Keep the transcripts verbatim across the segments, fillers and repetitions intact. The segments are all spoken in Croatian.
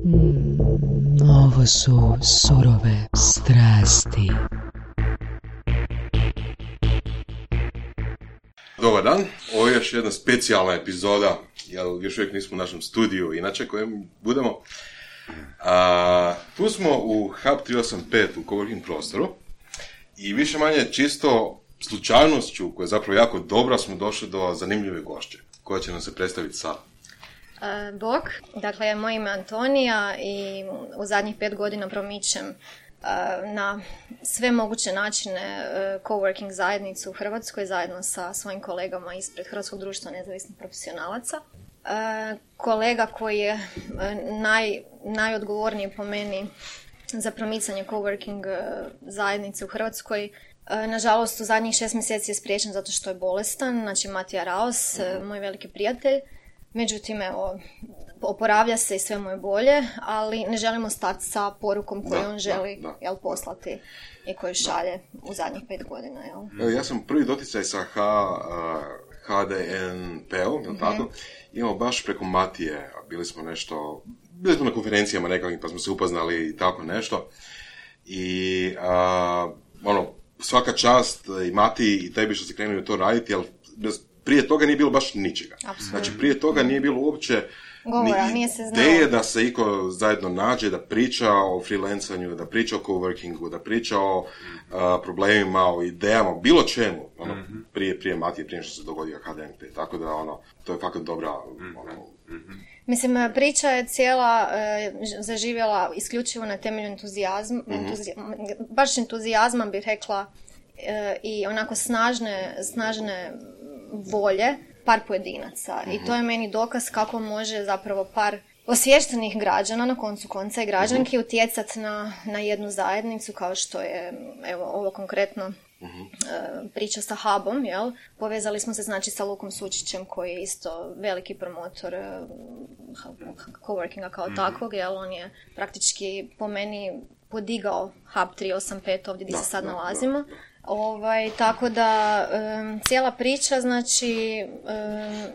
Mm, ovo su surove strasti. Dobar dan, ovo je još jedna specijalna epizoda, jer još uvijek nismo u našem studiju, inače kojem budemo. A, tu smo u Hub tri osam pet u coworking prostoru i više manje čisto slučajnošću, koja je zapravo jako dobra, smo došli do zanimljive gošće, koja će nam se predstaviti sad. Uh, Bog, dakle, moje ime je Antonija i u zadnjih pet godina promičem uh, na sve moguće načine uh, coworking zajednicu u Hrvatskoj zajedno sa svojim kolegama ispred Hrvatskog društva nezavisnih profesionalaca. Uh, kolega koji je uh, naj, najodgovorniji po meni za promicanje coworking uh, zajednice u Hrvatskoj, uh, nažalost u zadnjih šest mjeseci je spriječen zato što je bolestan, znači Matija Raos, uh, moj veliki prijatelj. Međutim, evo, oporavlja se i sve mu je bolje, ali ne želimo stati sa porukom koju da, on želi da, da. Jel, poslati i koju šalje da. u zadnjih pet godina. Jel? Evo, ja sam prvi doticaj sa H, H D N P-om, mm-hmm. tako? Imamo baš preko Matije, bili smo nešto, bili smo na konferencijama nekakvim pa smo se upoznali i tako nešto. I a, ono, svaka čast i Matiji i tebi što se krenuli u to raditi, ali bez prije toga nije bilo baš ničega. Absolutno. Znači, prije toga nije bilo uopće Govora, ni nije se znalo. ideje da se iko zajedno nađe, da priča o freelancanju, da priča o coworkingu, da priča o uh, problemima, o idejama, bilo čemu. Ono, mm-hmm. prije, prije Matije, prije što se dogodio H D N P. Tako da, ono, to je fakat dobra... Mm-hmm. Ono, mm-hmm. Mislim, priča je cijela e, zaživjela isključivo na temelju entuzijazma, mm-hmm. entuzijazma baš entuzijazma bih rekla e, i onako snažne, snažne volje par pojedinaca. Mm-hmm. I to je meni dokaz kako može zapravo par osviještenih građana, na koncu konca i građanki, mm-hmm. utjecati na, na jednu zajednicu, kao što je, evo, ovo konkretno mm-hmm. uh, priča sa Hubom, jel? Povezali smo se, znači, sa Lukom Sučićem, koji je isto veliki promotor uh, coworkinga kao mm-hmm. takvog, jel? On je praktički po meni podigao Hub tri osam pet ovdje gdje da, se sad da, nalazimo. Da, da. Ovaj, tako da um, cijela priča, znači, um,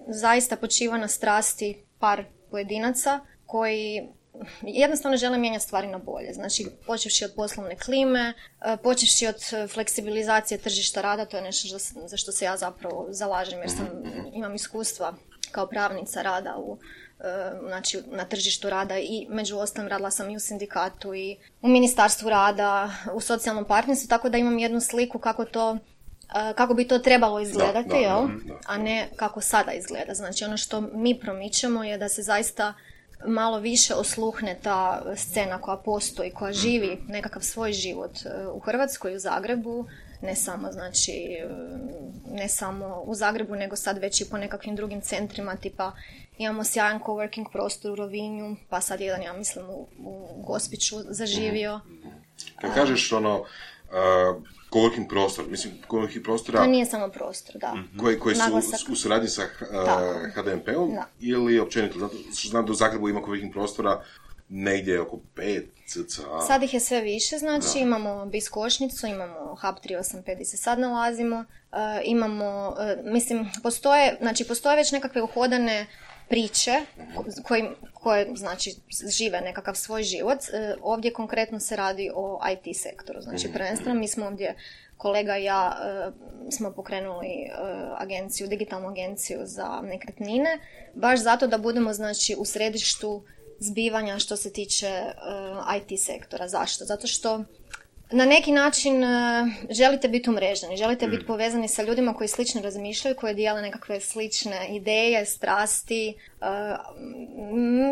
zaista počiva na strasti par pojedinaca koji jednostavno žele mijenjati stvari na bolje. Znači, počevši od poslovne klime, uh, počevši od fleksibilizacije tržišta rada, to je nešto za, za što se ja zapravo zalažem, jer sam, imam iskustva kao pravnica rada u znači na tržištu rada i među ostalim radila sam i u sindikatu i u ministarstvu rada, u socijalnom partnerstvu, tako da imam jednu sliku kako to, kako bi to trebalo izgledati, da, da, jel? Da, da. A ne kako sada izgleda. Znači ono što mi promičemo je da se zaista malo više osluhne ta scena koja postoji, koja živi nekakav svoj život u Hrvatskoj, u Zagrebu, ne samo, znači, ne samo u Zagrebu, nego sad već i po nekakvim drugim centrima, tipa imamo sjajan coworking prostor u Rovinju, pa sad jedan, ja mislim, u, u Gospiću zaživio. Kad kažeš ono, uh, coworking prostor, mislim, coworking prostora... To nije samo prostor, da. Koji, koji su u, u suradnji sa uh, H D N P-om da. Ili općenito? Zato što znam da u Zagrebu ima coworking prostora negdje oko pet cca. Sad ih je sve više, znači da. Imamo Biskošnicu, imamo Hub tri osam pet gdje se sad nalazimo, uh, imamo, uh, mislim, postoje, znači postoje već nekakve uhodane priče koji, koje, znači, žive nekakav svoj život. Uh, ovdje konkretno se radi o I T sektoru, znači prvenstveno mi smo ovdje, kolega i ja, uh, smo pokrenuli uh, agenciju, digitalnu agenciju za nekretnine, baš zato da budemo, znači, u središtu zbivanja što se tiče uh, I T sektora. Zašto? Zato što na neki način uh, želite biti umreženi, želite mm. biti povezani sa ljudima koji slično razmišljaju, koji dijele nekakve slične ideje, strasti, uh,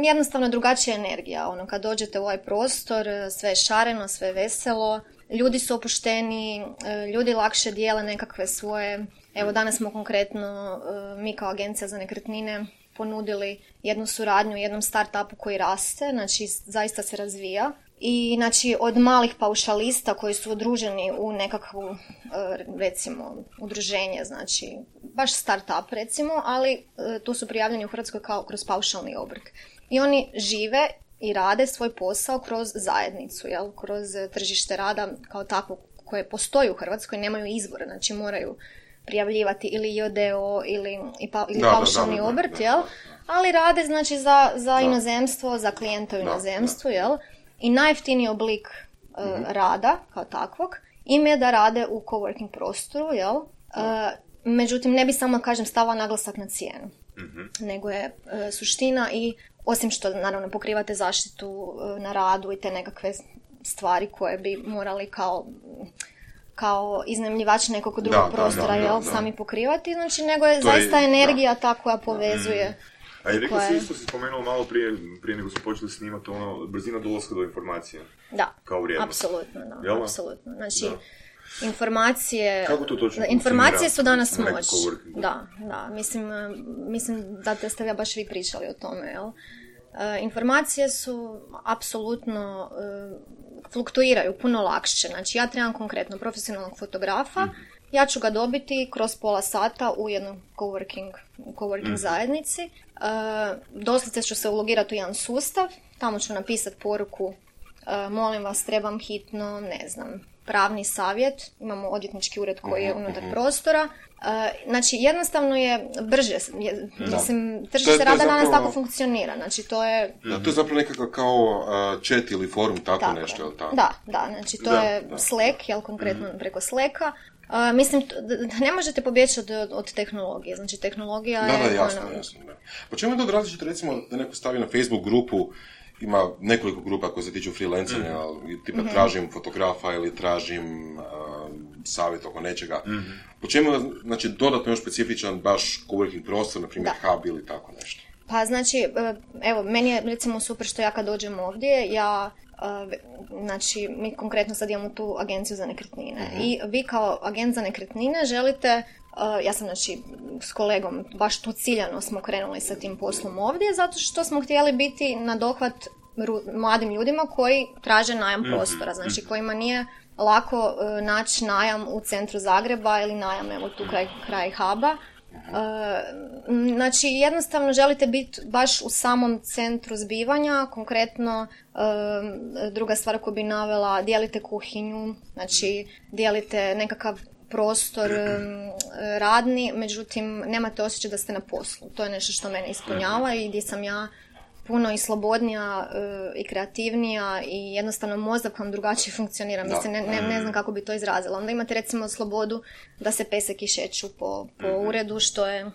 jednostavno drugačija energija. Ono, kad dođete u ovaj prostor, sve je šareno, sve je veselo, ljudi su opušteni, uh, ljudi lakše dijele nekakve svoje... Evo, danas smo konkretno, uh, mi kao agencija za nekretnine, ponudili jednu suradnju jednom start-upu koji raste, znači zaista se razvija. I znači od malih paušalista koji su udruženi u nekakvu, recimo, udruženje, znači baš start-up recimo, ali tu su prijavljeni u Hrvatskoj kao kroz paušalni obrt. I oni žive i rade svoj posao kroz zajednicu, jel? Kroz tržište rada kao takvo koje postoji u Hrvatskoj, nemaju izbora, znači moraju prijavljivati ili J D O ili, ili da, paušalni da, da, da, obrt, da, da, jel? da. Ali rade znači za, za Da. inozemstvo, za klijenta u Da, inozemstvu, da. jel? I najjeftiniji oblik uh, Mhm. rada kao takvog im je da rade u coworking prostoru, jel? Uh, međutim, ne bi samo, kažem, stavila naglasak na cijenu, Mhm. nego je uh, suština i osim što naravno pokrivate zaštitu uh, na radu i te nekakve stvari koje bi morali kao kao iznajmljivači nekog drugog Da, da, prostora, da, da, jel, da. sami pokrivati, znači nego je To je- zaista da. energija ta koja povezuje. A i rekla koja si je- isto, si spomenula malo prije, prije nego smo počeli snimati, ono, brzina dolaska do informacije. Da, Kao vrijednost. apsolutno, da, Jel da? apsolutno. Znači, Da. informacije... Kako to točno Informacije funkcionira su danas na nekom moć. coworkingu? Da, da, mislim, eh, mislim da te ste ja baš vi pričali o tome, jel? Eh, informacije su apsolutno eh, fluktuiraju puno lakše. Znači, ja trebam konkretno profesionalnog fotografa, ja ću ga dobiti kroz pola sata u jednom coworking, coworking zajednici. Uh, doslovce ću se ulogirati u jedan sustav, tamo ću napisati poruku, uh, molim vas, trebam hitno, ne znam, pravni savjet, imamo odvjetnički ured koji je unutar prostora. Uh, znači, jednostavno je brže, je, mislim, To je- tržište to je rada danas zapravo- tako funkcionira, znači to je... Da, to je zapravo nekakav kao uh, chat ili forum, tako, Tako nešto, je. jel tako? Da, da, znači to Da, je da. Slack, jel, konkretno preko Slacka. Uh, mislim, t- da da ne možete pobjeći od, od tehnologije, znači tehnologija Da, je... da, jasno, ono, jasno. Da. Po čemu je to različito, recimo, da neko stavi na Facebook grupu, ima nekoliko grupa koje se tiču freelancanja, ali tipa tražim fotografa ili tražim uh, savjet oko nečega. Po čemu je, znači, dodatno još specifičan baš coworking prostor, na primjer Da. hub ili tako nešto? Pa znači, e, evo, meni je recimo super što ja kad dođem ovdje, ja, e, znači, mi konkretno sad imamo tu agenciju za nekretnine i vi kao agent za nekretnine želite, e, ja sam znači s kolegom, baš tu ciljano smo krenuli sa tim poslom ovdje, zato što smo htjeli biti na dohvat ru- mladim ljudima koji traže najam prostora, znači kojima nije lako e, naći najam u centru Zagreba ili najam evo tu kraj, kraj huba. Uh, znači jednostavno želite biti baš u samom centru zbivanja, konkretno uh, druga stvar koju bi navela, dijelite kuhinju, znači dijelite nekakav prostor um, radni, međutim nemate osjećaj da ste na poslu. To je nešto što mene ispunjava i gdje sam ja puno i slobodnija uh, i kreativnija i jednostavno mozak vam drugačije funkcionira. Da. Mislim, ne, ne, ne znam kako bi to izrazila. Onda imate recimo slobodu da se peseki šeću po, po uredu, što je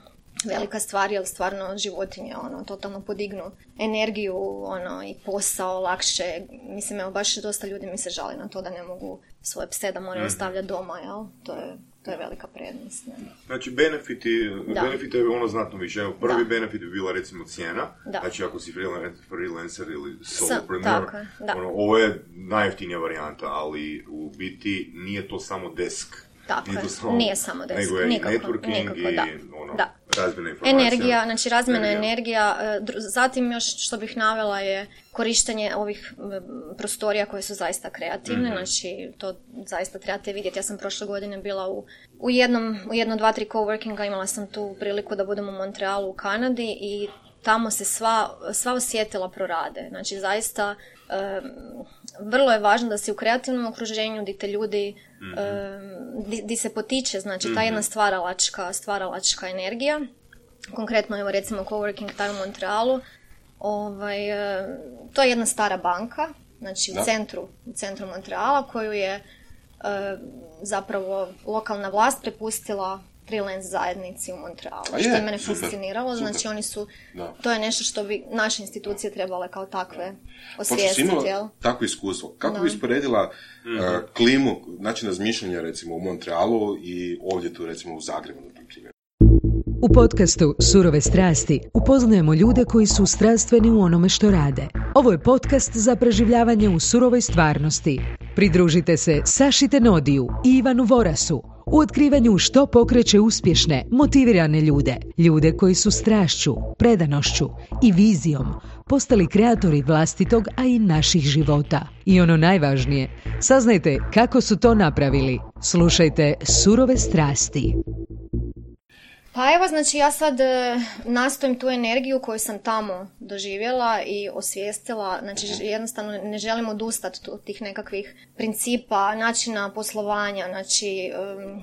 velika stvar, jer stvarno životinje ono, totalno podignu energiju ono, i posao lakše. Mislim, evo, baš dosta ljudi mi se žali na to da ne mogu svoje pse da moraju ostavljati doma, jel? To je, to je velika prednost. Ne? Znači, benefiti, Da. benefite je ono znatno više. Evo, prvi Da. benefit bi bila recimo cijena. Da. Znači, ako si freelan- freelancer ili Sa- solopreneur, tako je, da. ono, ovo je najjeftinija varijanta, ali u biti nije to samo desk. Tako Nije je, to samo, nije samo desk, nego je nikako, i networking nikako, i da. ono, Da. razmjena informacija. Energija, znači razmjena Energija. energija, e, dru- zatim još što bih navela je korištenje ovih m, prostorija koje su zaista kreativne, znači to zaista trebate vidjeti. Ja sam prošle godine bila u, u jednom, u jedno, dva, tri coworkinga, imala sam tu priliku da budem u Montrealu u Kanadi i tamo se sva, sva osjetila prorade. Znači zaista em, vrlo je važno da si u kreativnom okruženju gdje te ljudi gdje se potiče, znači ta jedna stvaralačka, stvaralačka energija. Konkretno, evo recimo coworking time u Montrealu, ovaj, e, to je jedna stara banka, znači Da. u centru, u centru Montreala, koju je e, zapravo lokalna vlast prepustila freelance zajednici u Montrealu, A što je, je mene super, fasciniralo, super. znači oni su, Da. to je nešto što bi naše institucije trebale kao takve Pošto si osvijestiti, jel? imala takvo iskustvo, kako Da. bi usporedila uh, klimu, način razmišljanja recimo u Montrealu i ovdje tu recimo u Zagrebu, na primjer? U podcastu Surove strasti upoznajemo ljude koji su strastveni u onome što rade. Ovo je podcast za preživljavanje u surovoj stvarnosti. Pridružite se Saši Tenodiju i Ivanu Vorasu u otkrivanju što pokreće uspješne, motivirane ljude. Ljude koji su strašću, predanošću i vizijom postali kreatori vlastitog, a i naših života. I ono najvažnije, saznajte kako su to napravili. Slušajte Surove strasti. Pa evo, znači ja sad e, nastojim tu energiju koju sam tamo doživjela i osvijestila, znači ž- jednostavno ne želim odustati od tih nekakvih principa, načina poslovanja, znači em,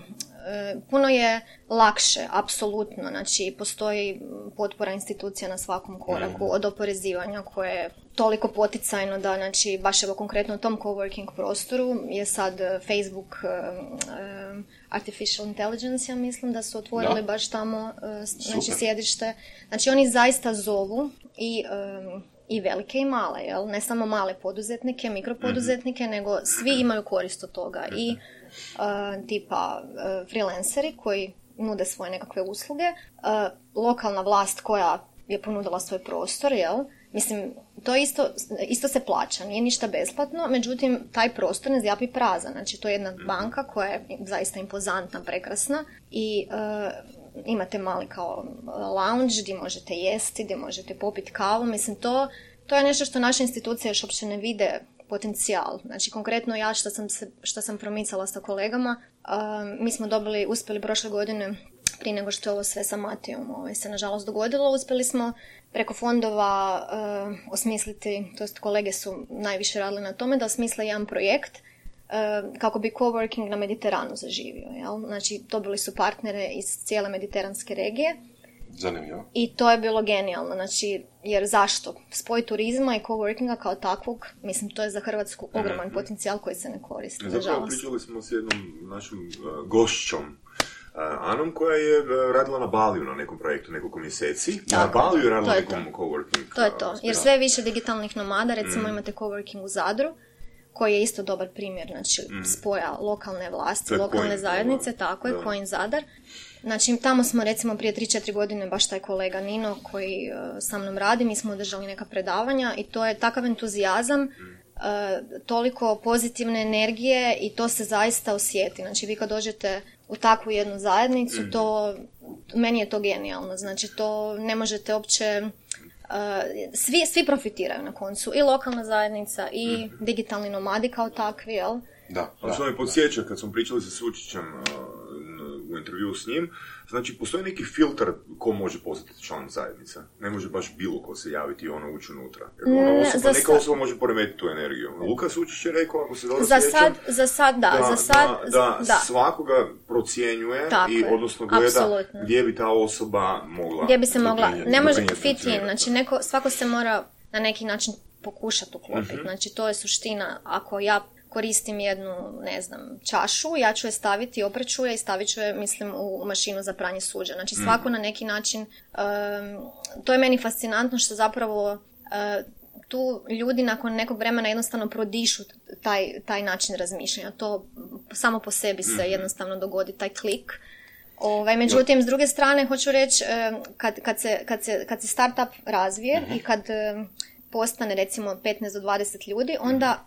puno je lakše, apsolutno, znači postoji potpora institucija na svakom koraku, od oporezivanja koje je toliko poticajno da, znači, baš evo konkretno u tom coworking prostoru je sad Facebook uh, um, Artificial Intelligence, ja mislim da su otvorili da. baš tamo uh, znači sjedište. Znači oni zaista zovu i um, i velike i male, jel? Ne samo male poduzetnike, mikropoduzetnike, mm-hmm. nego svi imaju korist od toga. I uh, tipa uh, freelanceri koji nude svoje nekakve usluge, uh, lokalna vlast koja je ponudila svoj prostor, jel? Mislim, to isto, isto se plaća, nije ništa besplatno, međutim, taj prostor ne zjapi prazan. Znači, to je jedna banka koja je zaista impozantna, prekrasna i uh, imate mali kao lounge gdje možete jesti, gdje možete popiti kavu. Mislim, to, to je nešto što naše institucije još uopće ne vide potencijal. Znači, konkretno ja što sam, se, što sam promicala sa kolegama, uh, mi smo dobili, uspjeli prošle godine, prije nego što je ovo sve sa Matijom ovaj, se nažalost dogodilo, uspjeli smo preko fondova uh, osmisliti, to jest kolege su najviše radili na tome, da osmisle jedan projekt uh, kako bi coworking na Mediteranu zaživio. Jel? Znači, dobili su partnere iz cijele mediteranske regije. Zanimljivo. I to je bilo genijalno, znači, jer zašto? Spoj turizma i coworkinga kao takvog, mislim, to je za Hrvatsku ogroman mm-hmm. potencijal koji se ne koristi. Zapravo pričali smo s jednom našom uh, gošćom, Uh, Anom, koja je uh, radila na Baliju na nekom projektu nekoliko mjeseci. Na Baliju je radila na nekom coworking. To je to, jer sve više digitalnih nomada, recimo mm. imate coworking u Zadru, koji je isto dobar primjer, znači mm. spoja lokalne vlasti, lokalne Coin, zajednice, ovo. Tako je, Coin Zadar. Znači, tamo smo recimo prije tri četiri godine, baš taj kolega Nino koji uh, sa mnom radi, mi smo održali neka predavanja i to je takav entuzijazam, mm. uh, toliko pozitivne energije i to se zaista osjeti. Znači, vi kad dođete u takvu jednu zajednicu, mm. to, meni je to genijalno. Znači, to ne možete uopće, uh, svi, svi profitiraju na koncu, i lokalna zajednica, i mm. digitalni nomadi kao takvi, jel? Da. Ali što me podsjeća, kad smo pričali sa Sučićem uh, u intervju s njim, znači, postoji neki filter ko može postati član zajednice. Ne može baš bilo ko se javiti i ono ući unutra. Jer ona osoba, neka sad... osoba može poremetiti tu energiju. Luka Sučić je rekao, ako se dobro za sjećam, sad, za sad, da, da, za sad, da, da, da. svakoga procjenjuje tako i je. Odnosno gleda apsolutno. Gdje bi ta osoba mogla... Gdje bi se mogla, ne može fit in, znači neko, svako se mora na neki način pokušati uklopiti. Mm-hmm. Znači, to je suština. Ako ja koristim jednu, ne znam, čašu, ja ću je staviti, opreću je i stavit ću je, mislim, u mašinu za pranje suđa. Znači, svako mm. na neki način, um, to je meni fascinantno što zapravo uh, tu ljudi nakon nekog vremena jednostavno prodišu taj, taj način razmišljanja. To samo po sebi se jednostavno dogodi, taj klik. Ovaj, međutim, s druge strane, hoću reći, kad, kad, se, kad, se, kad se startup razvije mm-hmm. i kad um, postane, recimo, petnaest do dvadeset ljudi, onda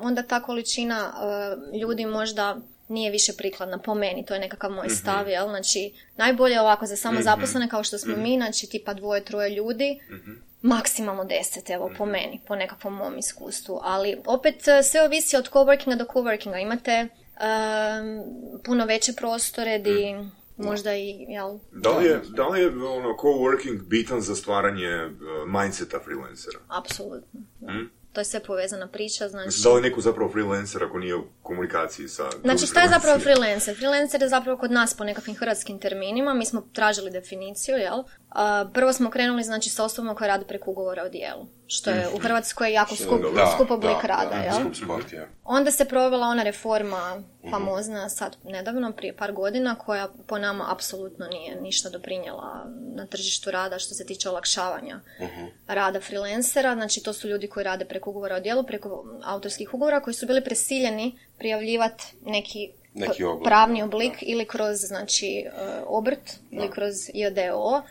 onda ta količina uh, ljudi možda nije više prikladna po meni, to je nekakav moj mm-hmm. stav, jel? Znači, najbolje ovako za samo zaposlene kao što smo mm-hmm. mi, znači tipa dvoje, troje ljudi, mm-hmm. maksimalno deset, evo, mm-hmm. po meni, po nekakvom mom iskustvu, ali opet sve ovisi od coworkinga do coworkinga, imate um, puno veće prostore di mm. možda i, jel? Da li je, da li je ono, coworking bitan za stvaranje uh, mindseta freelancera? Apsolutno, da. Mm? To je sve povezana priča, znači... Da li neko zapravo freelancer ako nije u komunikaciji sa... Znači, šta je zapravo freelancer? Freelancer je zapravo kod nas po nekakvim hrvatskim terminima, mi smo tražili definiciju, jel? Uh, prvo smo krenuli, znači, sa osobom koja radi preko ugovora o djelu, što je u Hrvatskoj jako skup, da, skup oblik da, rada, da, jel? Skup sport, ja. Onda se provela ona reforma famozna, sad nedavno, prije par godina, koja po nama apsolutno nije ništa doprinijela na tržištu rada što se tiče olakšavanja uh-huh. rada freelancera. Znači, to su ljudi koji rade preko ugovora o djelu, preko autorskih ugovora, koji su bili prisiljeni prijavljivati neki, neki oblik, pravni oblik da. Ili kroz, znači, obrt, da. Ili kroz j d o o,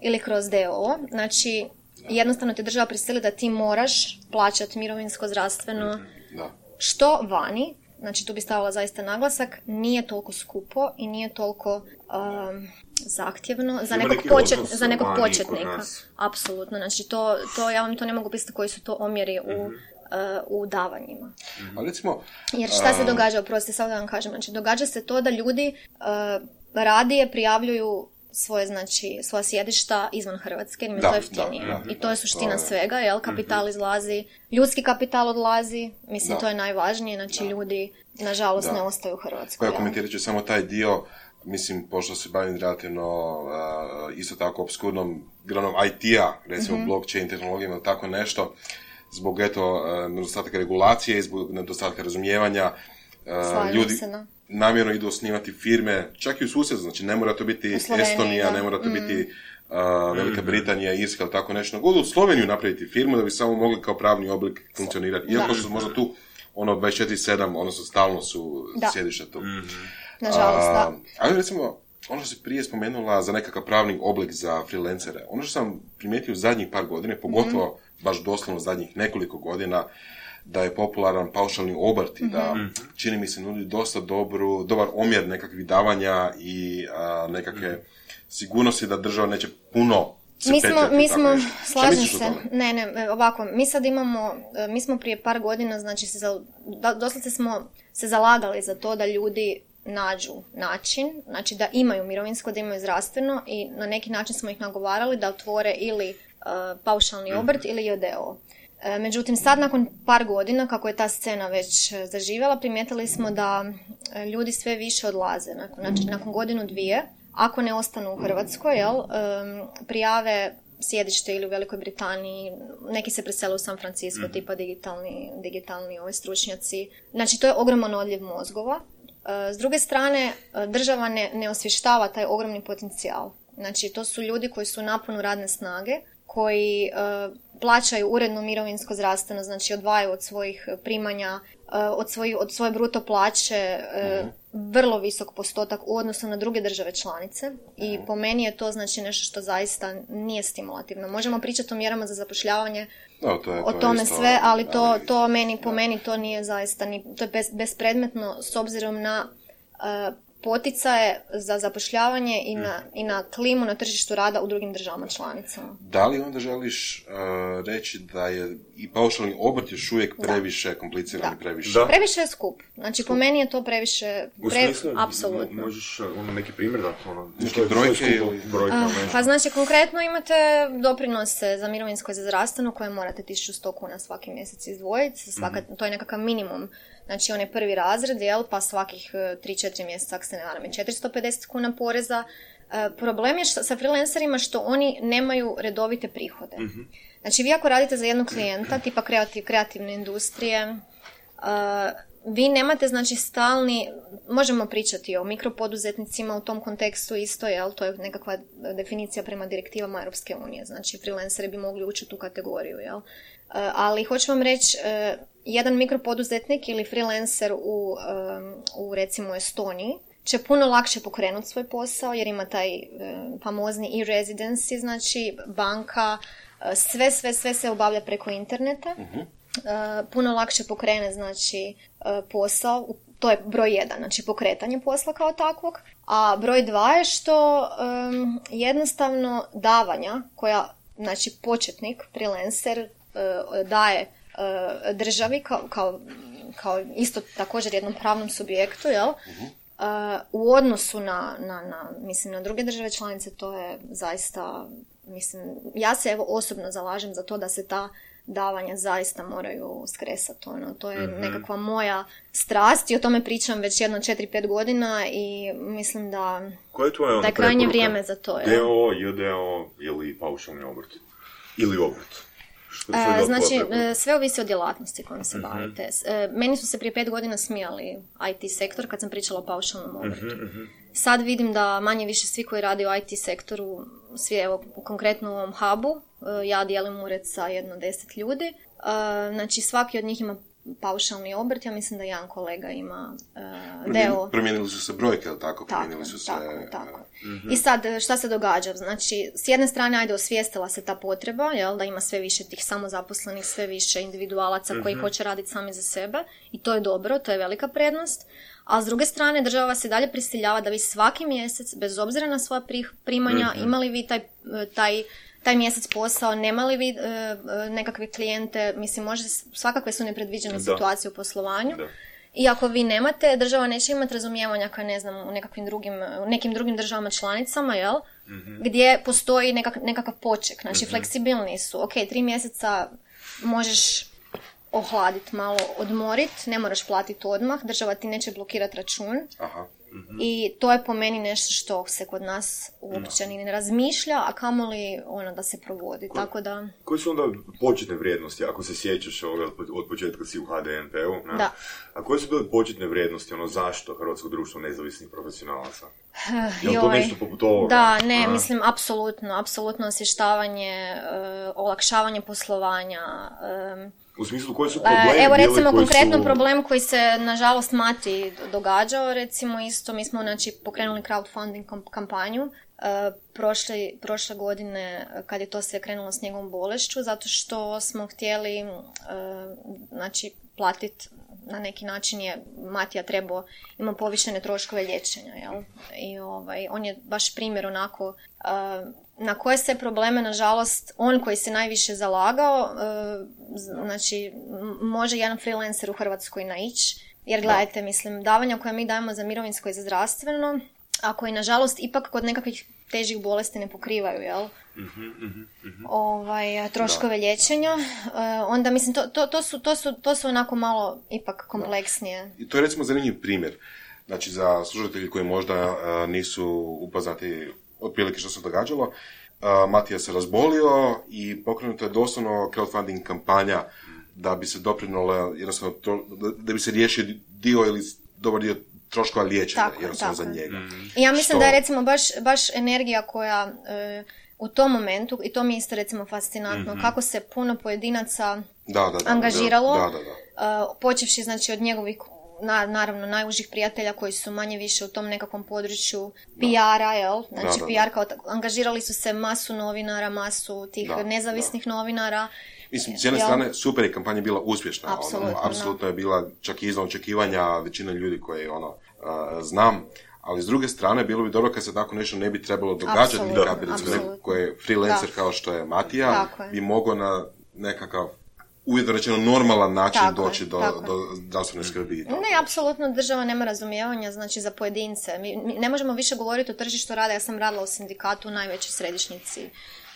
ili kroz d o o. Znači, jednostavno te država prisili da ti moraš plaćati mirovinsko, zdravstveno, da. Što vani, znači tu bi stavila zaista naglasak, nije toliko skupo i nije toliko um, zahtjevno za nekog, počet, za nekog početnika. Apsolutno, znači to, to, ja vam to ne mogu pisati koji su to omjeri u, mm-hmm. uh, u davanjima. Mm-hmm. A recimo, jer šta se događa, oprosti, sad da vam kažem, znači događa se to da ljudi uh, radije prijavljuju svoje, znači, svoja sjedišta izvan Hrvatske, jer mi je to jeftinije. Da, da, I to je suština to je... svega, jel? Kapital izlazi, ljudski kapital odlazi, mislim, da. to je najvažnije, znači, da. ljudi, nažalost, da. ne ostaju u Hrvatskoj. Pa ja komentirat ću samo taj dio, mislim, pošto se bavim relativno uh, isto tako obskurnom granom I T-a, recimo mm-hmm. blockchain tehnologijama ili tako nešto, zbog eto uh, nedostatka regulacije i zbog nedostatka razumijevanja, uh, ljudi se, namjerno idu osnivati firme, čak i u susjedstvu, znači ne mora to biti Estonija, da. ne mora to mm. biti uh, Velika Britanija, Irska ili tako nešto, nego u Sloveniju napraviti firmu da bi samo mogli kao pravni oblik funkcionirati. Iako su možda tu ono dvadeset četiri sedam, odnosno stalno su sjedišta tu. Mm-hmm. Nažalost, uh, da. Ali recimo, ono što si prije spomenula za nekakav pravni oblik za freelancere, ono što sam primijetio u zadnjih par godina, pogotovo mm-hmm. baš doslovno zadnjih nekoliko godina, da je popularan paušalni obrt i da, mm-hmm. čini mi se, nudi dosta dobru, dobar omjer nekakvih davanja i a, nekakve mm-hmm. sigurnosti da država neće puno se mi smo, petljati. Mi smo, slažem se, ne, ne, ovako, mi sad imamo, mi smo prije par godina, znači, se za, doslovce smo se zalagali za to da ljudi nađu način, znači da imaju mirovinsko, da imaju zdravstveno i na neki način smo ih nagovarali da otvore ili uh, paušalni obrt mm-hmm. ili J D O. Međutim, sad nakon par godina, kako je ta scena već zaživjela, primijetili smo da ljudi sve više odlaze. Znači, nakon godinu dvije, ako ne ostanu u Hrvatskoj, jel, prijave sjedište ili u Velikoj Britaniji, neki se presele u San Francisco, mm. tipa digitalni, digitalni ovi stručnjaci. Znači, to je ogroman odljev mozgova. S druge strane, država ne, ne osvještava taj ogromni potencijal. Znači, to su ljudi koji su u naponu radne snage, koji uh, plaćaju uredno mirovinsko zdravstveno, znači odvajaju od svojih primanja, uh, od, svoj, od svoje bruto plaće uh, mm-hmm. vrlo visok postotak u odnosu na druge države članice i mm-hmm. po meni je to znači nešto što zaista nije stimulativno. Možemo pričati o mjerama za zapošljavanje, no, to je, to o tome isto, sve, ali to, to meni, po meni to nije zaista, ni, to je bez, bespredmetno s obzirom na uh, poticaje za zapošljavanje i na, i na klimu na tržištu rada u drugim državama članicama. Da li onda želiš uh, reći da je i paušalni obrt još uvijek previše da. kompliciran i previše? Da. Previše je skup. Znači, po meni je to previše... U smislu, pre... apsolutno. Možeš ono, neki primjer dati? Ono, neke brojke ili... brojke uh, pa znači, konkretno imate doprinose za mirovinsko i za zdravstveno koje morate tisuću sto kuna svaki mjesec izdvojiti. Svaka, mm-hmm. To je nekakav minimum. Znači, on je prvi razred, jel, pa svakih tri četiri mjeseca, ako se ne varam, je četiristo pedeset kuna poreza. E, problem je što, sa freelancerima što oni nemaju redovite prihode. Mm-hmm. Znači, vi ako radite za jednog klijenta, tipa kreativ, kreativne industrije, e, vi nemate, znači, stalni, možemo pričati o mikropoduzetnicima u tom kontekstu isto, jel, to je nekakva definicija prema direktivama Europske unije, znači, freelanceri bi mogli ući u tu kategoriju, jel. E, ali hoću vam reći, e, jedan mikropoduzetnik ili freelancer u, um, u recimo Estoniji će puno lakše pokrenuti svoj posao jer ima taj um, famozni e-residency, znači banka, uh, sve, sve, sve se obavlja preko interneta. Uh-huh. Uh, puno lakše pokrene, znači, uh, posao, to je broj jedan, znači pokretanje posla kao takvog, a broj dva je što um, jednostavno davanja koja, znači, početnik, freelancer uh, daje državi kao, kao, kao isto također jednom pravnom subjektu, jel? Uh-huh. Uh, u odnosu na, na, na, mislim, na druge države članice to je zaista, mislim, ja se evo osobno zalažem za to da se ta davanja zaista moraju skresati. Ono. To je mm-hmm. nekakva moja strast i o tome pričam već jedno četiri pet godina i mislim da, da je krajnje vrijeme za to. D O O, J D O ili paušalni obrt? Ili obrt? E, znači, sve ovisi o djelatnosti kojom se uh-huh. bavite. E, meni su se prije pet godina smijali I T sektor kad sam pričala o paušalnom obrtu. Uh-huh. Sad vidim da manje više svi koji rade u I T sektoru, svi evo konkretno u ovom hubu, ja dijelim ured sa jedno deset ljudi, e, znači svaki od njih ima paušalni obrt, ja mislim da jedan kolega ima uh, D O. Promijenili su se brojke, ali tako? Tako, su se... tako, tako. Mm-hmm. I sad, šta se događa? Znači, s jedne strane, ajde, osvijestila se ta potreba, jel, da ima sve više tih samozaposlenih, sve više individualaca mm-hmm. koji hoće raditi sami za sebe i to je dobro, to je velika prednost. A s druge strane, država se dalje prisiljava da vi svaki mjesec, bez obzira na svoja primanja, mm-hmm. imali vi taj, taj taj mjesec posao, nemali vi e, nekakve klijente, mislim, može, svakakve su nepredviđene da. situacije u poslovanju. Da. I ako vi nemate, država neće imati razumijevanja kao, ne znam, u nekakvim drugim, u nekim drugim državama članicama, jel? mm-hmm. gdje postoji nekak, nekakav poček, znači mm-hmm. fleksibilni su, ok, tri mjeseca možeš ohladiti, malo odmoriti, ne moraš platiti odmah, država ti neće blokirati račun. Aha. Mm-hmm. I to je po meni nešto što se kod nas uopće ni ne razmišlja, a kamoli ono da se provodi. Ko, tako da... Koje su onda početne vrijednosti, ako se sjećaš ovoga, od početka si u ha de en pe-u? Ne? Da. A koje su bile početne vrijednosti, ono zašto Hrvatsko društvo nezavisnih profesionalaca? Je li to nešto poput ovoga? Da, ne, a? mislim, apsolutno, apsolutno osvještavanje, uh, olakšavanje poslovanja, um, u smislu koji su problemi? Evo recimo koji konkretno su... problem koji se nažalost Mati događao, recimo isto, mi smo znači pokrenuli crowdfunding kampanju uh, prošle, prošle godine kad je to sve krenulo s njegovom bolešću, zato što smo htjeli uh, znači platiti na neki način je Matija trebao, ima povišene troškove liječenja, jel? I ovaj, on je baš primjer onako uh, na koje se probleme, nažalost, on koji se najviše zalagao, uh, znači, može jedan freelancer u Hrvatskoj naići, jer gledajte, mislim, davanja koja mi dajemo za mirovinsko i za zdravstveno, a koji, nažalost, ipak kod nekakvih težih bolesti ne pokrivaju, jel? Mm-hmm, mm-hmm. Ovaj, troškove da. liječenja, uh, onda, mislim, to, to, to, su, to, su, to su onako malo ipak kompleksnije. Da. I to je, recimo, zanimljiv primjer. Znači, za slušatelji koji možda uh, nisu upoznati otprilike što se događalo, uh, Matija se razbolio i pokrenuta je doslovno crowdfunding kampanja da bi se doprinula, jednostavno, to, da bi se riješio dio ili dobar dio troškova liječenja, tako, jednostavno tako. za njega. Mm-hmm. I ja mislim što... da je recimo baš, baš energija koja uh, u tom momentu, i to mi je isto recimo fascinantno, mm-hmm. kako se puno pojedinaca da, da, da, angažiralo, da, da, da. Uh, počevši znači od njegovih Na, naravno, najužih prijatelja koji su manje više u tom nekakvom području P R-a, jel? Znači, da, da, P R kao tako, angažirali su se masu novinara, masu tih da, nezavisnih da. novinara. Mislim, s jedne jel? strane, super je kampanja bila uspješna. Apsolutno, ono, apsolutno je bila čak i iznad očekivanja većine ljudi koje ono, uh, znam. Ali s druge strane, bilo bi dobro kad se tako nešto ne bi trebalo događati, kad bi recimo neko koji je freelancer da. kao što je Matija, bi mogao na nekakav uvjetno rečeno normalan način tako doći je, do, do zdravstvene skrbi. Ne, apsolutno država nema razumijevanja, znači za pojedince. Mi, mi ne možemo više govoriti o tržištu rada. Ja sam radila u sindikatu, u najvećoj središnjici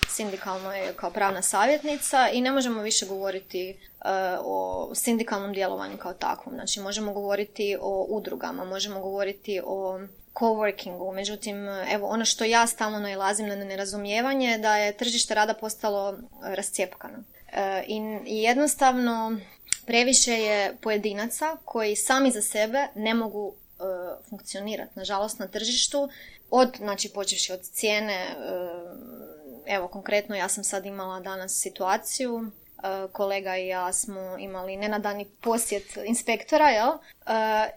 sindikalnoj kao pravna savjetnica i ne možemo više govoriti uh, o sindikalnom djelovanju kao takvom. Znači možemo govoriti o udrugama, možemo govoriti o coworkingu, međutim, evo, ono što ja stalno nailazim na nerazumijevanje je da je tržište rada postalo rascjepkano. I jednostavno previše je pojedinaca koji sami za sebe ne mogu uh, funkcionirati, nažalost, na tržištu, od, znači, počevši od cijene, uh, evo, konkretno ja sam sad imala danas situaciju, uh, kolega i ja smo imali nenadani posjet inspektora, jel? Uh,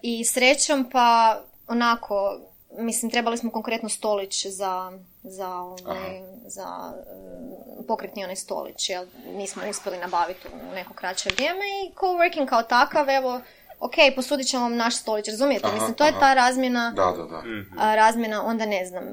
i srećom pa onako, mislim, trebali smo konkretno stolić za, za, ovaj, za um, pokretni onaj stolić, jel? Nismo uspjeli nabaviti u neko kraće vrijeme i coworking kao takav, evo, ok, posudit ćemo vam naš stolić, razumijete? Aha, mislim, to aha. je ta razmjena, da, da, da. A, razmjena, onda ne znam,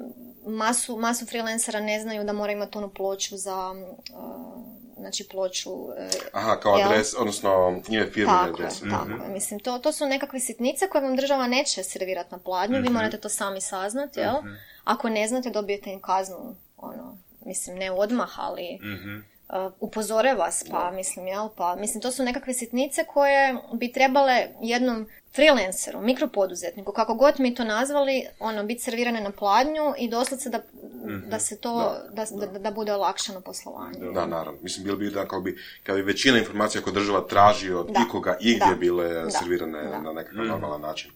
masu, masu freelancera ne znaju da mora imati onu ploču za, uh, znači ploču... Uh, Aha, kao jel? Adres, odnosno ime firme tako adres. Je, tako je, mislim, to, to su nekakve sitnice koje vam država neće servirati na pladnju, mm-hmm. vi morate to sami saznati, jel? Mm-hmm. Ako ne znate, dobijete im kaznu, ono, mislim, ne odmah, ali... Mm-hmm. Uh, upozore vas, pa da. mislim, jel, pa mislim, to su nekakve sitnice koje bi trebale jednom freelanceru, mikropoduzetniku, kako god mi to nazvali, ono, biti servirane na pladnju i doslovce da, mm-hmm. da se to, da, da, da, da bude olakšano poslovanje. Da, da, naravno. Mislim, bilo bi da, kao bi, kad bi većina informacija koja država traži od da. ikoga i gdje bile da. servirane da. na nekakav mm-hmm. normalan način.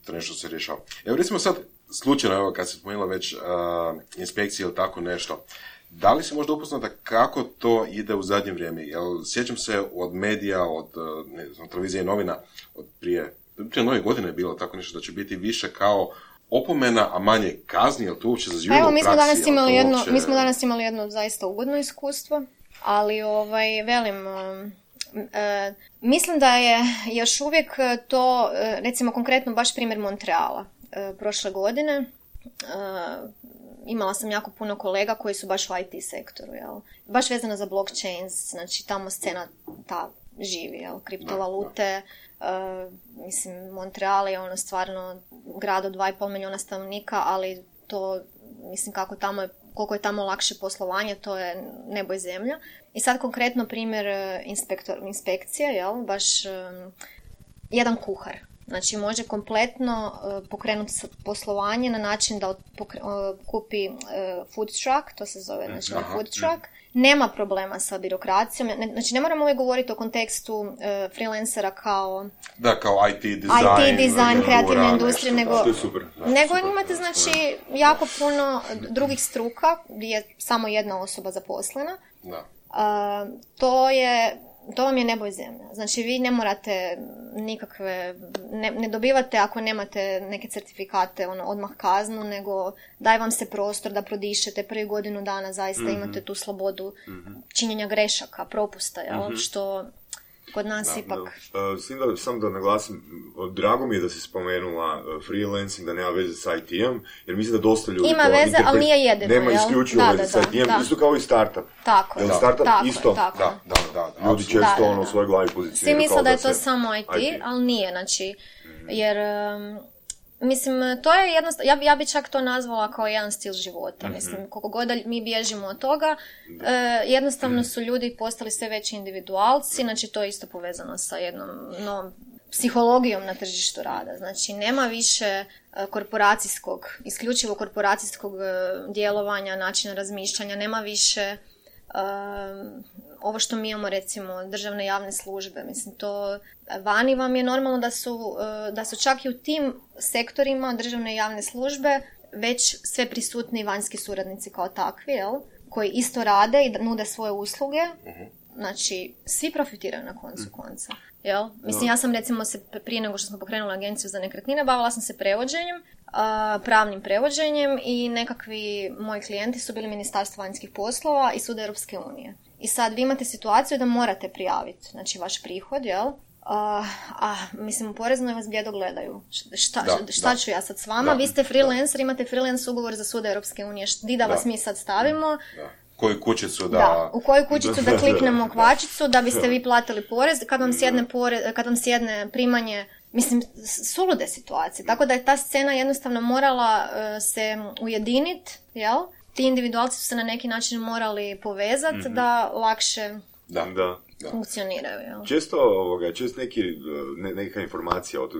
To nešto se rješava. Evo, recimo sad, slučajno, evo, kad se spomenula već uh, inspekcije ili tako nešto, da li se možda upoznata kako to ide u zadnje vrijeme? Jel, sjećam se od medija, od ne znam, televizije i novina, od prije, prije nove godine je bilo tako nešto da će biti više kao opomena, a manje kazni, jel to uopće zaživjelo u praksi? Evo, mi smo danas imali jedno, uopće... mi smo danas imali jedno zaista ugodno iskustvo, ali ovaj, velim, um, uh, mislim da je još uvijek to, uh, recimo konkretno baš primjer Montreala uh, prošle godine, uh, imala sam jako puno kolega koji su baš u I T sektoru, jel? Baš vezano za blockchains, znači tamo scena ta živi, jel? Kriptovalute, uh, mislim, Montreal je ono stvarno grad od dva i pol milijuna stanovnika, ali to, mislim, kako tamo je koliko je tamo lakše poslovanje, to je nebo i zemlja. I sad konkretno primjer inspektor, inspekcije, jel? Baš um, jedan kuhar. Znači može kompletno uh, pokrenuti poslovanje na način da pokre, uh, kupi uh, food truck, to se zove znači, uh, food truck. Nema problema sa birokracijom. Ne, znači ne moramo uvijek govoriti o kontekstu uh, freelancera kao... Da, kao I T dizajn. I T dizajn, kreativne industrije, nego... To je super. Da, nego super. imate znači jako puno drugih struka gdje je samo jedna osoba zaposlena. Da. Uh, to je... To vam je nebo i zemlja. Znači vi ne morate nikakve, ne, ne dobivate ako nemate neke certifikate ono, odmah kaznu, nego daj vam se prostor da prodišete prvi godinu dana, zaista mm-hmm. imate tu slobodu mm-hmm. činjenja grešaka, propusta, jel? Mm-hmm. Što kod nas da, ipak... Da. Uh, Sim da, sam da naglasim, drago mi je da si spomenula uh, freelancing, da nema veze s I T-om, jer mislim da dosta ljudi... Ima to veze, interpret... ali nije jedino, nema jel? isključivo da, veze da, s I T-om, da, isto kao i startup. Tako Jel je. startup tako isto? Tako. Da, da, da. da ljudi često da, da, ono da. u svojoj glavi pozicioniraju. Svi misle da je to se... samo I T, I T, ali nije, znači, mm-hmm. jer... Um, Mislim, to je jednostavno, ja, ja bi čak to nazvala kao jedan stil života. Mm-hmm. Mislim, koliko god mi bježimo od toga, e, jednostavno su ljudi postali sve veći individualci, znači to je isto povezano sa jednom novom psihologijom na tržištu rada. Znači, nema više korporacijskog, isključivo korporacijskog djelovanja, načina razmišljanja, nema više... Um, ovo što mi imamo recimo državne javne službe, mislim to vani vam je normalno da su, da su čak i u tim sektorima državne javne službe već sve prisutni vanjski suradnici kao takvi, jel? Koji isto rade i nude svoje usluge, znači svi profitiraju na koncu konca. Jel? Mislim, ja sam recimo se prije nego što smo pokrenuli agenciju za nekretnine bavila sam se prevođenjem, pravnim prevođenjem i nekakvi moji klijenti su bili Ministarstvo vanjskih poslova i Sud Europske unije. I sad vi imate situaciju da morate prijaviti, znači vaš prihod, jel? A, a mislim, u poreznoj vas bljedo gledaju. Šta, da, šta da. ću ja sad s vama? Da, vi ste freelancer, da. imate freelance ugovor za Sud Europske unije. Di da, da vas mi sad stavimo? Da. Koju kućicu da... Da, u koju kućicu da kliknemo kvačicu da biste vi platili porez kad vam sjedne, porez, kad vam sjedne primanje. Mislim, sulude situacije. Tako da je ta scena jednostavno morala uh, se ujediniti, jel? Ti individualci su se na neki način morali povezati mm-hmm. da lakše da, da, da. funkcioniraju. Jel? Često, ovoga, često neki, ne, neka informacija od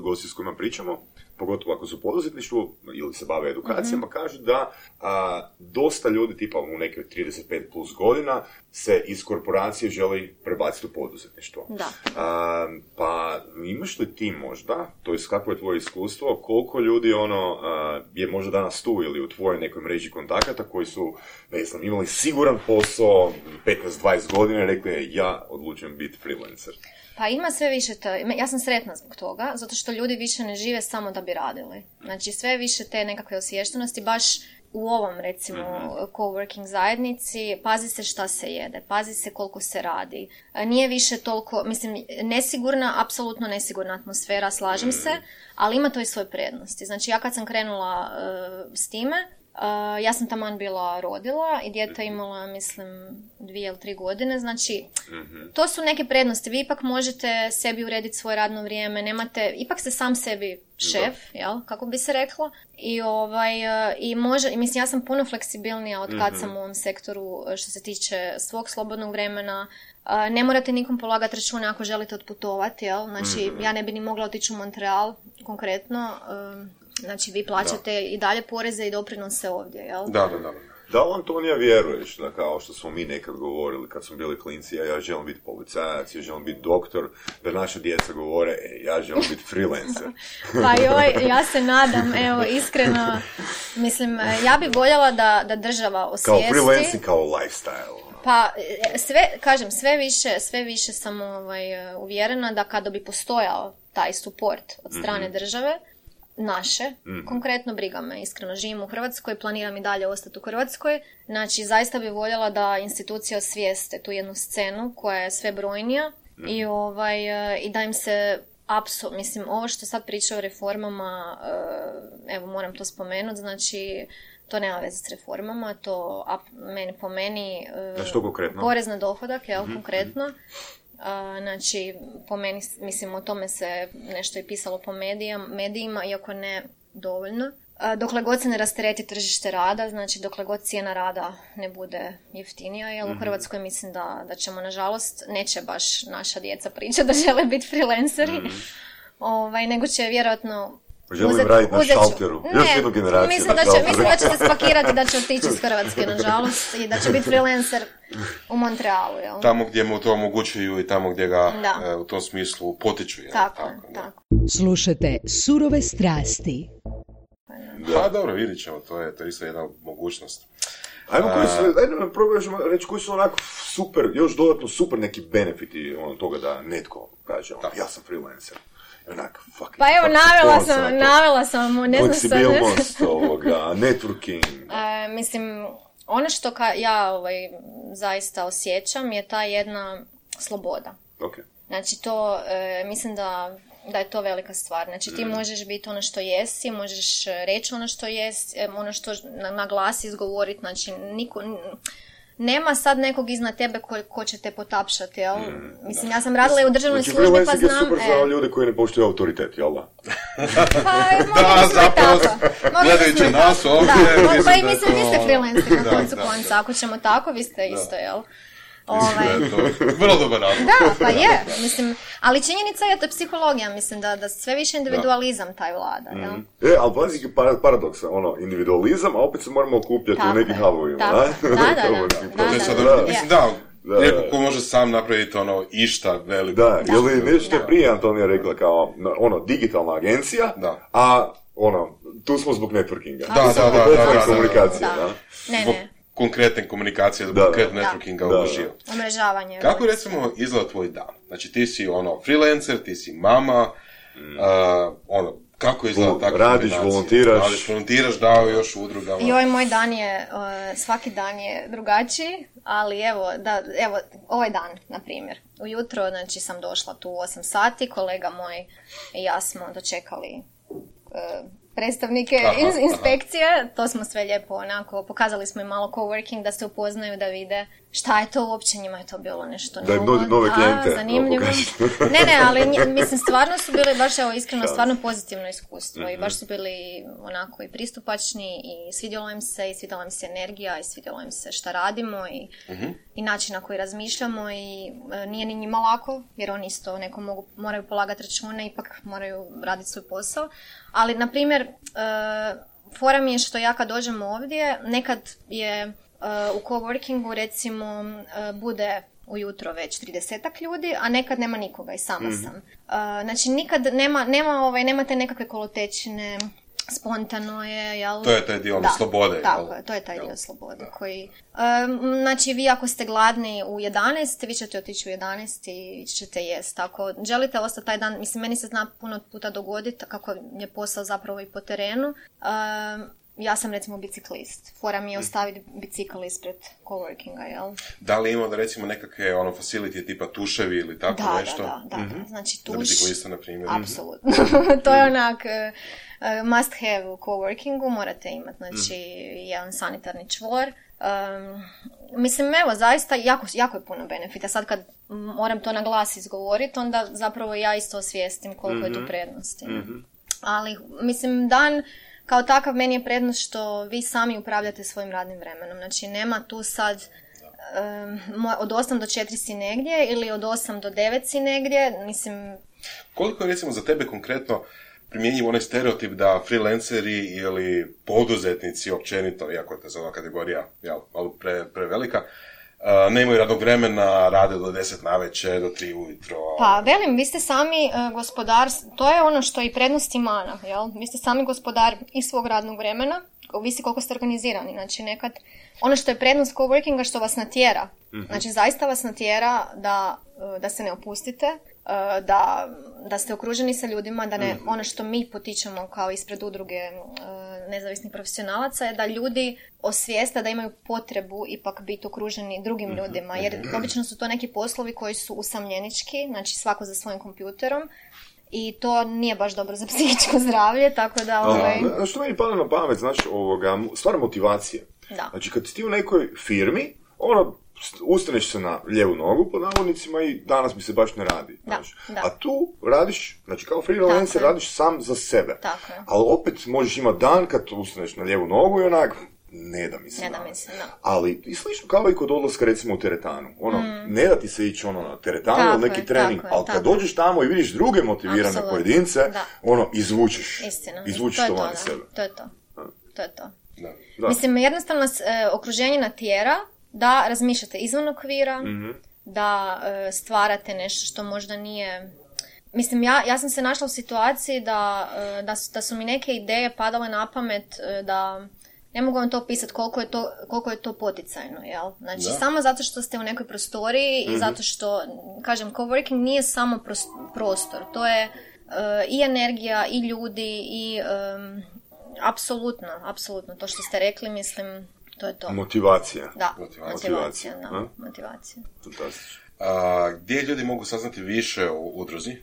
gosti s kojima pričamo, pogotovo ako su u poduzetništvu ili se bave edukacijama, mm-hmm. kažu da a, dosta ljudi, tipa u neke trideset pet plus godina, se iz korporacije želi prebaciti u poduzetništvo. Da. A, pa imaš li ti možda, to jest kako je tvoje iskustvo, koliko ljudi ono a, je možda danas tu ili u tvojoj nekoj mreži kontakata koji su, ne znam, imali siguran posao petnaest dvadeset godina i rekli ja odlučujem biti freelancer? Pa ima sve više to, ja sam sretna zbog toga, zato što ljudi više ne žive samo da bi radili. Znači sve više te nekakve osviještenosti, baš u ovom recimo coworking zajednici, pazi se šta se jede, pazi se koliko se radi. Nije više toliko, mislim, nesigurna, apsolutno nesigurna atmosfera, slažem se, ali ima to i svoje prednosti. Znači ja kad sam krenula uh, s time, Uh, ja sam taman bila rodila i dijete imala, mislim, dvije ili tri godine, znači mm-hmm. to su neke prednosti. Vi ipak možete sebi urediti svoje radno vrijeme, nemate, ipak ste sam sebi šef, jel, kako bi se reklo, i ovaj, uh, i može, mislim, ja sam puno fleksibilnija od kad mm-hmm. sam u ovom sektoru što se tiče svog slobodnog vremena. Uh, ne morate nikom polagati račune ako želite otputovati, jel, znači mm-hmm. ja ne bi ni mogla otići u Montreal konkretno, uh, znači, vi plaćate da. i dalje poreze i doprinose ovdje, jel? Da, da, da. Da li, Antonija, vjeruješ da kao što smo mi nekad govorili kad smo bili klinci, ja, ja želim biti policajac, ja želim biti doktor, da naša djeca govore, e, ja želim biti freelancer. Pa joj, ja se nadam, evo, iskreno, mislim, ja bih voljela da, da država osvijesti... Kao freelancing, kao lifestyle. Pa, sve, kažem, sve više, sve više sam ovaj, uvjerena da kada bi postojao taj support od strane mm-hmm. države, naše, mm. konkretno briga me, iskreno živim u Hrvatskoj, planiram i dalje ostati u Hrvatskoj, znači zaista bih voljela da institucije osvijeste tu jednu scenu koja je sve brojnija mm. i, ovaj, i da im se apsolutno, mislim, ovo što sad priča o reformama, evo moram to spomenuti, znači to nema veze s reformama, to meni, po meni što konkretno? Porez na dohodak, jel, mm-hmm. konkretno. Uh, znači, po meni, mislim, o tome se nešto i pisalo po medijama, medijima, iako ne dovoljno. Uh, dokle god se ne rastereti tržište rada, znači dokle god cijena rada ne bude jeftinija, jer mm-hmm. u Hrvatskoj mislim da, da ćemo, nažalost, neće baš naša djeca pričati da žele biti freelanceri, mm-hmm. ovaj, nego će vjerojatno želim raditi na šalteru. Još jednu generaciju. Mislim da, će, mislim da će se spakirati da će otići iz Hrvatske, nažalost, i da će biti freelancer u Montrealu. Jel? Tamo gdje mu to omogućuju i tamo gdje ga e, u tom smislu potiču. Jel? Tako, tako, tako. Slušajte Surove strasti. Da. Pa dobro, vidit ćemo, to je, to je isto jedna mogućnost. Ajmo, koji su, ajde, probaćemo reći koji su onako super, još dodatno super neki benefiti ono toga da netko kaže, ono, ja sam freelancer. Onak, fucking, pa evo, navela sam, to. navela sam, ne znam sad. Fleksibilnost ovoga, networking. E, mislim, ono što ka, ja ovaj, zaista osjećam je ta jedna sloboda. Okay. Znači to, e, mislim da, da je to velika stvar. Znači ti mm. možeš biti ono što jesi, možeš reći ono što jesi, ono što na, na glas izgovoriti, znači niko... Nema sad nekog iznad tebe ko, ko će te potapšati, jel? Mm, Mislim, ja sam radila i u državnoj znači, službi, pa znam... Znači, freelancing je super za ljude koji ne poštuju autoritet, jel da? Pa, da, zapravo, gledajući nas ovdje... Da, pa i mislim, vi ste freelancer na koncu konca, ako ćemo tako, vi ste isto, jel? Ovaj... Vrlo dobar razlog. Da, pa je, mislim, ali činjenica je to je psihologija, mislim, da, da sve više individualizam da. taj vlada, jel? Mm. E, ali pazi paradoksa, ono, individualizam, a opet se moramo okupljati u nekim havovima, da? Da, da, da, da, da, mislim, da, neko ko može sam napraviti ono išta veliko. Da, ili nešto je prije Antonija rekla kao, ono, digitalna agencija, da. a, ono, tu smo zbog networkinga. Da, da, da, da, da, komunikacije, da. Ne, ne. Konkretne komunikacije, zbog konkretne networkinga uživo. Omrežavanje. Kako recimo izgleda tvoj dan? Znači ti si ono freelancer, ti si mama, mm. uh, ono, kako izgleda takva radiš, volontiraš. Radiš, volontiraš, dao još u udrugama. Joj, moj dan je, uh, svaki dan je drugačiji, ali evo, da, evo, ovaj dan, na primjer. Ujutro, znači, sam došla tu u osam sati, kolega moj i ja smo dočekali uh, predstavnike aha, iz inspekcije, aha. To smo sve lijepo onako, pokazali smo im malo coworking da se upoznaju, da vide šta je to uopće, njima je to bilo nešto da novo. Da, nove klijente. Zanimljivo. Ne, ne, ali mislim, stvarno su bili, baš evo iskreno, stvarno pozitivno iskustvo mm-hmm. i baš su bili onako i pristupačni i svidjelo im se i svidjela im se energija i svidjelo im se šta radimo i, mm-hmm. i način na koji razmišljamo i e, nije ni njima lako, jer oni isto neko mogu, moraju polagati račune, ipak moraju raditi svoj posao. Ali, na primjer, uh, fora mi je što ja kad dođem ovdje, nekad je uh, u coworkingu recimo uh, bude ujutro već tridesetak ljudi, a nekad nema nikoga i sama mm-hmm. sam. Uh, znači nikad nema, nema, ovaj, nema te nekakve kolotečine, spontano je, jel? To je taj dio da, slobode. Tako je, to je taj jel? dio slobode koji... Um, znači, vi ako ste gladni u jedanaest, vi ćete otići u jedanaest i ćete jesti. Ako želite ostati taj dan, mislim, meni se zna puno puta dogoditi, kako je posao zapravo i po terenu, um, ja sam recimo biciklist. Fora mi je ostaviti bicikl ispred coworkinga, jel? Da li ima da recimo nekakve ono facility tipa tuševi ili tako da, nešto? Da, da, da. Mm-hmm. Znači tuš... Za biciklista, na primjer. Apsolutno. To je onak... Uh, must have u coworkingu, morate imati, znači, mm. jedan sanitarni čvor. Um, mislim, evo, zaista jako, jako je puno benefita. Sad kad moram to na glas izgovoriti, onda zapravo ja isto osvijestim koliko mm-hmm. je tu prednosti. Mm-hmm. Ali, mislim, dan kao takav meni je prednost što vi sami upravljate svojim radnim vremenom. Znači, nema tu sad um, od osam do četiri si negdje ili od osam do devet si negdje. Mislim... Koliko je, recimo, za tebe konkretno primjenjiv onaj stereotip da freelanceri ili poduzetnici općenito, iako je to za ova kategorija jel, malo pre, prevelika, uh, nemaju radnog vremena, rade do deset navečer, do tri ujutro. Pa velim, vi ste sami uh, gospodar, to je ono što i prednost i mana, jel? Vi ste sami gospodar i svog radnog vremena, ovisi koliko ste organizirani. Znači nekad, ono što je prednost coworkinga što vas natjera, mm-hmm. znači zaista vas natjera da, uh, da se ne opustite, Da, da ste okruženi sa ljudima, da ne, ono što mi potičemo kao ispred udruge nezavisnih profesionalaca je da ljudi osvijeste da imaju potrebu ipak biti okruženi drugim ljudima, jer obično su to neki poslovi koji su usamljenički, znači svako za svojim kompjuterom i to nije baš dobro za psihičko zdravlje, tako da... Ovaj... A, što meni pada na pamet, znači, ovoga, stvar motivacije. Da. Znači, kad ti u nekoj firmi, ono, ustaneš se na lijevu nogu, pod navodnicima, i danas mi se baš ne radi. Da, da. A tu radiš, znači kao freelancer radiš sam za sebe. Tako je. Ali opet možeš imati dan kad ustaneš na lijevu nogu i onak, ne da mi se ne da mi se, da. Ali i slično kao i kod odlaska recimo u teretanu. Ono, mm. ne da ti se ići ono na teretanu ili neki je, trening, ali kad dođeš tamo i vidiš druge motivirane Absolutno. pojedince, da. ono, izvučeš. Istina. Izvučeš to van sebe. To je to. To je to. Da. Da. Mislim, jednostavno e, okruženje natjera da razmišljate izvan okvira, mm-hmm. da e, stvarate nešto što možda nije... Mislim, ja, ja sam se našla u situaciji da, e, da, su, da su mi neke ideje padale na pamet, e, da ne mogu vam to opisati koliko je to, koliko je to poticajno, jel? Znači, da. Samo zato što ste u nekoj prostoriji mm-hmm. i zato što, kažem, coworking nije samo prostor, to je e, i energija, i ljudi, i... E, apsolutno, apsolutno. To što ste rekli, mislim, to je to. Motivacija. Da, motivacija. motivacija, da, A? motivacija. Fantastično. A, gdje ljudi mogu saznati više o udruzi?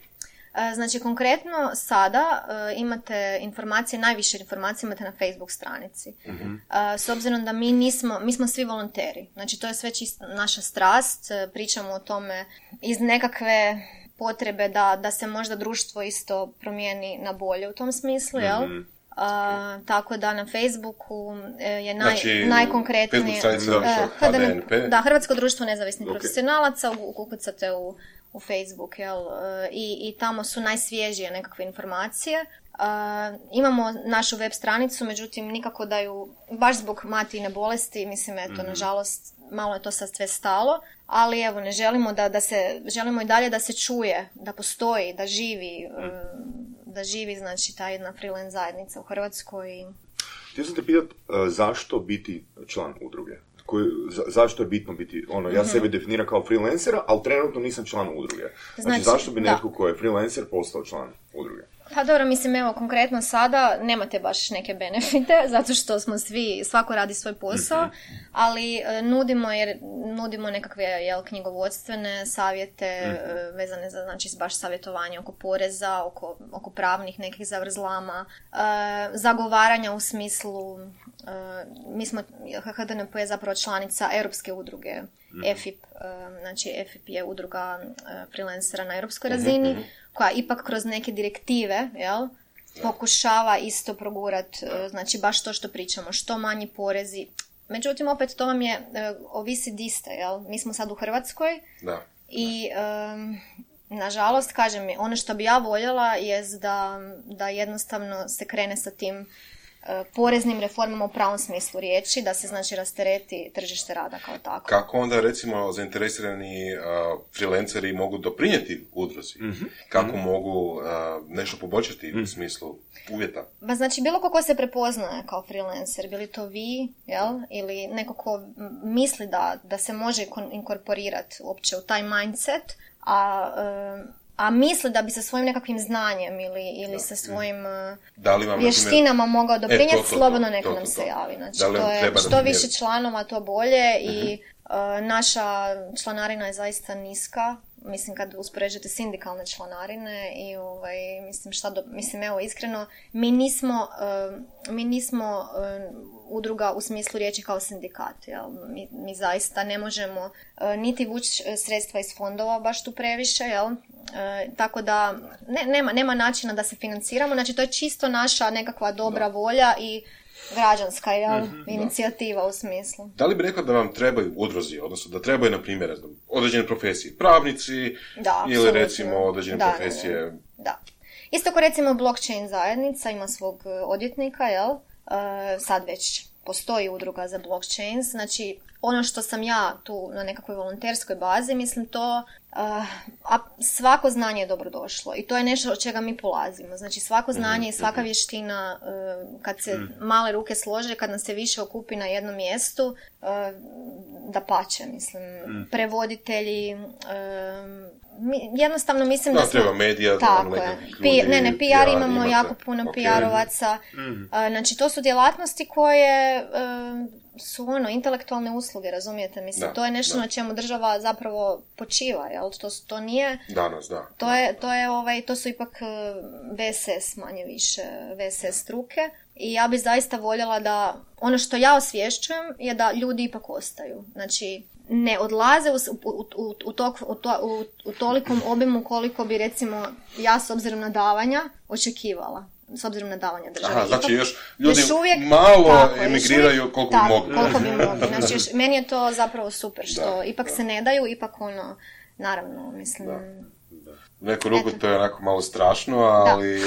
A, znači, konkretno sada a, imate informacije, najviše informacije imate na Facebook stranici. Uh-huh. A, s obzirom da mi nismo, mi smo svi volonteri. Znači, to je sve čisto naša strast. Pričamo o tome iz nekakve potrebe da, da se možda društvo isto promijeni na bolje u tom smislu, jel? Uh-huh. Uh, tako da na Facebooku je naj, znači, najkonkretnije Facebook uh, H D N P. Da, Hrvatsko društvo nezavisnih okay. profesionalaca, ukucate u, u Facebook, jel? Uh, i, i tamo su najsvježije nekakve informacije. Uh, imamo našu web stranicu, međutim nikako da ju, baš zbog Matijine bolesti, mislim, eto, mm-hmm. nažalost, malo je to sad sve stalo, ali evo, ne želimo da, da se, želimo i dalje da se čuje, da postoji, da živi, mm. uh, da živi, znači, ta jedna freelance zajednica u Hrvatskoj. Htio sam te pitat, uh, zašto biti član udruge? Koji, za, zašto je bitno biti, ono, ja mm-hmm. sebe definiram kao freelancera, ali trenutno nisam član udruge. Znači, znači zašto bi netko ko je freelancer postao član udruge? Pa dobro, mislim, evo, konkretno sada nemate baš neke benefite, zato što smo svi, svako radi svoj posao, mm-hmm. ali e, nudimo, jer nudimo nekakve, jel, knjigovodstvene savjete, mm-hmm. e, vezane za, znači, baš savjetovanje oko poreza, oko, oko pravnih nekih zavrzlama, e, zagovaranja u smislu, e, mi smo, H D N P je zapravo članica Europske udruge, mm-hmm. E F I P, e, znači E F I P je udruga e, freelancera na europskoj razini, mm-hmm. koja ipak kroz neke direktive, jel, pokušava isto progurat, znači baš to što pričamo, što manji porezi. Međutim, opet to vam je, ovisi di ste, jel? Mi smo sad u Hrvatskoj da. i um, nažalost, kažem mi, ono što bi ja voljela je da, da jednostavno se krene sa tim poreznim reformama u pravom smislu riječi, da se, znači, rastereti tržište rada kao tako. Kako onda, recimo, zainteresirani uh, freelanceri mogu doprinijeti udruzi? Mm-hmm. Kako mm-hmm. mogu uh, nešto poboljšati mm-hmm. u smislu uvjeta? Ba, znači, bilo ko ko se prepoznaje kao freelancer, bili to vi, jel? Ili neko ko misli da, da se može inkorporirati uopće u taj mindset, a... Uh, a misli da bi sa svojim nekakvim znanjem ili, ili sa svojim uh, vještinama primjer... mogao doprinijeti, e, slobodno neko nam se javi. Znači, to je što više članova, to bolje uh-huh. i uh, naša članarina je zaista niska. Mislim, kad uspoređujete sindikalne članarine i ovaj, mislim, šta do, mislim, evo, iskreno, mi nismo, uh, mi nismo uh, udruga u smislu riječi kao sindikat, jel? Mi, mi zaista ne možemo uh, niti vući sredstva iz fondova baš tu previše, jel? E, tako da ne, nema, nema načina da se financiramo, znači to je čisto naša nekakva dobra volja i građanska, jel, mm-hmm, inicijativa da. U smislu. Da li bi rekla da vam trebaju udruzi, odnosno da trebaju, na primjer, određene profesije, pravnici da, ili absolutno. Recimo određene da, profesije? Da, da. Isto ko recimo blockchain zajednica ima svog odvjetnika, jel, e, sad već postoji udruga za blockchain, znači ono što sam ja tu na nekakvoj volonterskoj bazi, mislim to, uh, a svako znanje je dobro došlo i to je nešto od čega mi polazimo. Znači svako znanje i svaka vještina, uh, kad se male ruke slože, kad nas se više okupi na jednom mjestu, uh, da pače, mislim, prevoditelji, uh, mi, jednostavno mislim da, da smo... treba medija, tako je. P- ne, ne, P R imamo imate. Jako puno okay. P R-ovaca. Mm. Uh, znači to su djelatnosti koje... Uh, su ono, intelektualne usluge, razumijete? Mislim, da, to je nešto da. Na čemu država zapravo počiva, jel? To, to nije... Danas, da. To je, to je ovaj, to su ipak V S S manje više, V S S struke i ja bi zaista voljela da, ono što ja osvješćujem je da ljudi ipak ostaju. Znači, ne odlaze u, u, u, u, tok, u, to, u, u tolikom obimu koliko bi, recimo, ja s obzirom na davanja očekivala. S obzirom na davanja države. Aha, znači Ipak, još ljudi još uvijek, malo tako, emigriraju uvijek, koliko tako, bi mogli. koliko bi mogli. Znači, još, meni je to zapravo super, što da, ipak da. se ne daju, ipak ono, naravno, mislim... Da. Da. U neku ruku to je onako malo strašno, ali...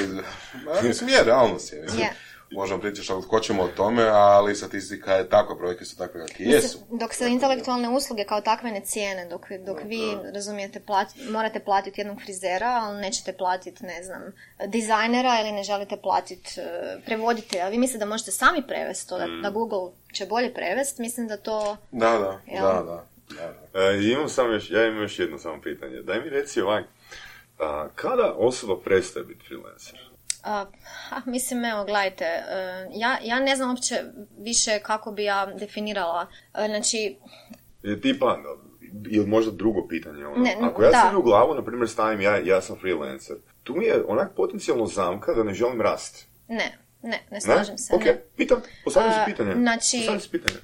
Da. Mislim, je, realnost je. Mislim, yeah. Možemo pričati što hoćemo o tome, ali statistika je takva, brojke su takve kakve jesu. Dok se intelektualne usluge kao takve ne cijene, dok, dok vi, razumijete, plati, morate platiti jednog frizera, ali nećete platiti, ne znam, dizajnera ili ne želite platiti uh, prevoditelja. Vi mislite da možete sami prevesti to, da, da Google će bolje prevesti, mislim da to... Da, da, jel? da, da. da, da. E, imam samo još, ja imam još jedno samo pitanje. Daj mi reci ovak, a, kada osoba prestaje biti freelancer? Uh, mislim, evo, gledajte, uh, ja, ja ne znam uopće više kako bi ja definirala, uh, znači... Je tipa, ili možda drugo pitanje, ono, ne, ako ja da. sebi u glavu, na primjer, stavim ja, ja sam freelancer, tu mi je onak potencijalno zamka da ne želim rast. Ne, ne, ne slažem ne? se. Ok, ne. pitam, postavljam se uh, pitanje. Znači, postavljam se pitanje.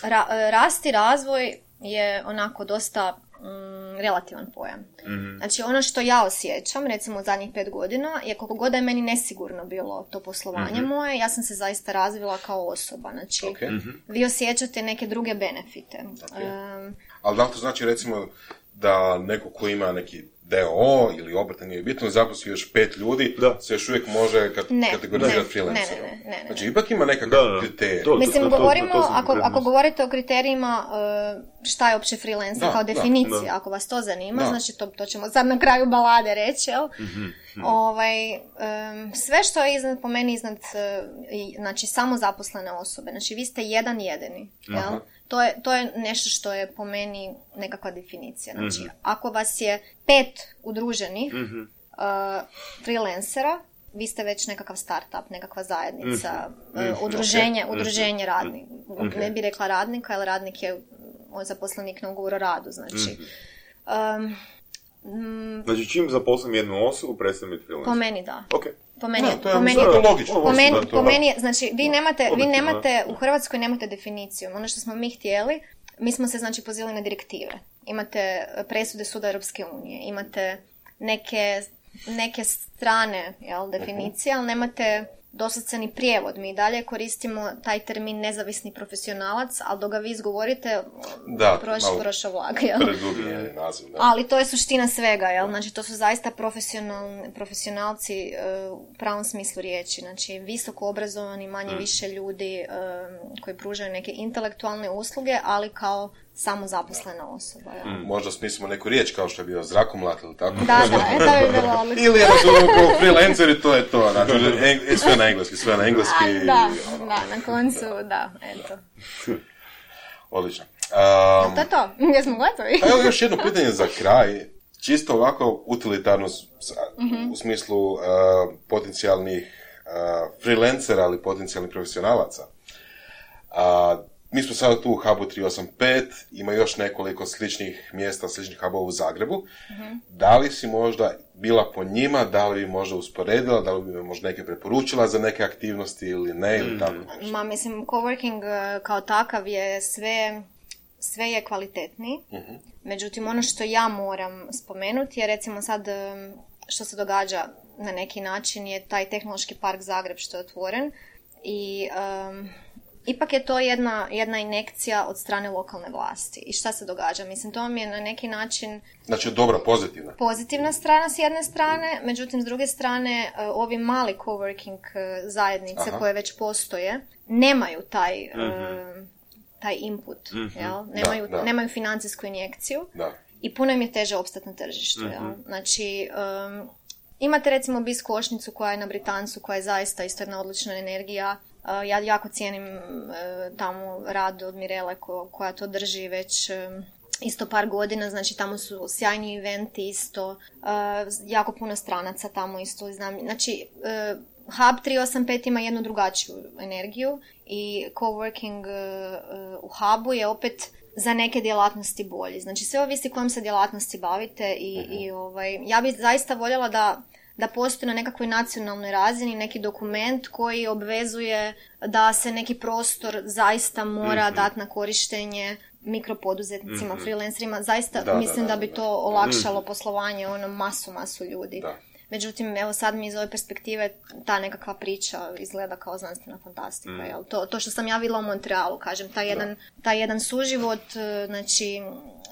Ra, rast i razvoj je onako dosta... Mm, relativan pojam. Mm-hmm. Znači ono što ja osjećam, recimo u zadnjih pet godina, je koliko god da je meni nesigurno bilo to poslovanje mm-hmm. moje, ja sam se zaista razvila kao osoba. Znači, okay. mm-hmm. vi osjećate neke druge benefite. Okay. Um, Ali da li to znači recimo da neko ko ima neki D O O ili obrt, nije bitno, zaposli još pet ljudi, da se još uvijek može kat- ne, kategorizirati freelancerom. Ne, ne, ne, ne, ne. Znači, ipak ima nekakav kriterij. Mislim, to, to, govorimo, to, to, to ako, ako govorite o kriterijima uh, šta je uopće freelancer da, kao definicija, da, da. Ako vas to zanima, da. Znači to, to ćemo sad na kraju balade reći, jel? Mm-hmm. Ovaj, um, sve što je iznad, po meni iznad, uh, znači samo zaposlene osobe, znači vi ste jedan jedini, jel? Aha. To je, to je nešto što je po meni nekakva definicija. Znači, mm-hmm. ako vas je pet udruženih mm-hmm. uh, freelancera, vi ste već nekakav start-up, nekakva zajednica, mm-hmm. uh, udruženje, okay. udruženje mm-hmm. radnika. Okay. Ne bi rekla radnika, jer radnik je zaposlenik na ugovor o radu. Znači, mm-hmm. um, znači čim zaposlim jednu osobu, prestajem biti freelancer? Po meni da. Okay. Po meni, no, to je, po meni, to logično. Po meni, po meni, znači, vi nemate, vi nemate, u Hrvatskoj nemate definiciju. Ono što smo mi htjeli, mi smo se, znači, pozivali na direktive. Imate presude Suda Europske unije, imate neke, neke strane, jel, definicije, ali nemate doslovce ni prijevod. Mi dalje koristimo taj termin nezavisni profesionalac, ali dok ga vi izgovorite, prošao prošao vlak, jel? Predugi naziv, da. Ali to je suština svega, jel? Znači, to su zaista profesionalci uh, u pravom smislu riječi. Znači, visoko obrazovani, manje mm. više ljudi um, koji pružaju neke intelektualne usluge, ali kao samo zaposlena osoba. Ja. Mm, možda smislimo neku riječ kao što je bio zrakomlat ili tako. Da, da, e, da bi bilo odlično. Ili jednostavno kao freelanceri, to je to. Znači, eng- sve na engleski, sve na engleski. A, da, i, da, na koncu, da, eto. Odlično. Um, to je to, jesmo gotovi. A evo još jedno pitanje za kraj. Čisto ovako utilitarno mm-hmm. u smislu uh, potencijalnih uh, freelancera ali potencijalnih profesionalaca. Uh, Mi smo sada tu u hubu tri osam pet, ima još nekoliko sličnih mjesta, sličnih hubova u Zagrebu. Mm-hmm. Da li si možda bila po njima, da li bi možda usporedila, da li bi možda neke preporučila za neke aktivnosti ili ne, ili tako nešto? Ma, mislim, coworking kao takav je sve, sve je kvalitetniji. Mm-hmm. Međutim, ono što ja moram spomenuti je, recimo sad, što se događa na neki način, je taj tehnološki park Zagreb što je otvoren i... Um, Ipak je to jedna, jedna injekcija od strane lokalne vlasti. I šta se događa? Mislim, to mi je na neki način... Znači, dobra, pozitivna. Pozitivna strana s jedne strane, međutim, s druge strane, ovi mali coworking zajednice Aha. koje već postoje, nemaju taj, mm-hmm. uh, taj input, mm-hmm. jel? Nemaju, da, da. nemaju financijsku injekciju da. I puno im je teže opstati na tržištu. Mm-hmm. Jel? Znači... Um, imate recimo Bis košnicu koja je na Britancu, koja je zaista isto jedna odlična energija. Uh, ja jako cijenim uh, tamo rad od Mirele ko, koja to drži već um, isto par godina, znači tamo su sjajni eventi isto, uh, jako puno stranaca tamo isto znam. Znači, uh, Hub tri osam pet ima jednu drugačiju energiju i coworking uh, u Hubu je opet za neke djelatnosti bolji. Znači, sve ovisi kojom se djelatnosti bavite i, uh-huh. i ovaj, ja bih zaista voljela da da postoji na nekakvoj nacionalnoj razini neki dokument koji obvezuje da se neki prostor zaista mora mm-hmm. dati na korištenje mikropoduzetnicima, mm-hmm. freelancerima, zaista da, mislim da, da, da bi da, to da. olakšalo mm. poslovanje ono masu, masu ljudi. Da. Međutim, evo sad mi iz ove perspektive ta nekakva priča izgleda kao znanstvena fantastika. Mm. Jel? To, to što sam ja vidjela u Montrealu, kažem, taj jedan, taj jedan suživot, znači